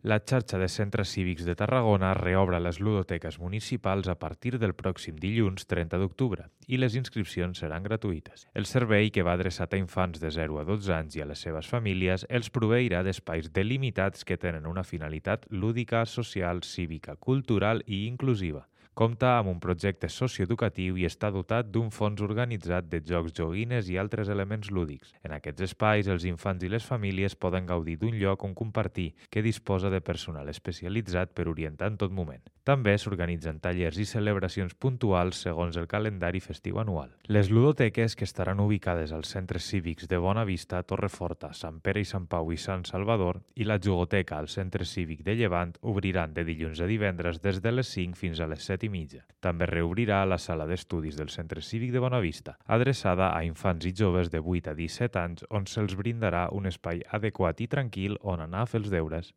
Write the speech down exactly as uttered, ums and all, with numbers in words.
La xarxa de centres cívics de Tarragona reobre les ludoteques municipals a partir del pròxim dilluns trenta d'octubre i les inscripcions seran gratuïtes. El servei, que va adreçat a infants de zero a dotze anys i a les seves famílies, els proveirà d'espais delimitats que tenen una finalitat lúdica, social, cívica, cultural i inclusiva. Compta amb un projecte socioeducatiu i està dotat d'un fons organitzat de jocs, joguines i altres elements lúdics. En aquests espais, els infants i les famílies poden gaudir d'un lloc on compartir que disposa de personal especialitzat per orientar en tot moment. També s'organitzen tallers i celebracions puntuals segons el calendari festiu anual. Les ludoteques, que estaran ubicades als centres cívics de Bonavista, Torreforta, Sant Pere i Sant Pau i Sant Salvador, i la jugoteca al centre cívic de Llevant, obriran de dilluns a divendres des de les cinc fins a les set i mitja. També reobrirà la sala d'estudis del Centre Cívic de Bonavista, adreçada a infants i joves de vuit a disset anys, on se'ls brindarà un espai adequat i tranquil on anar a fer els deures.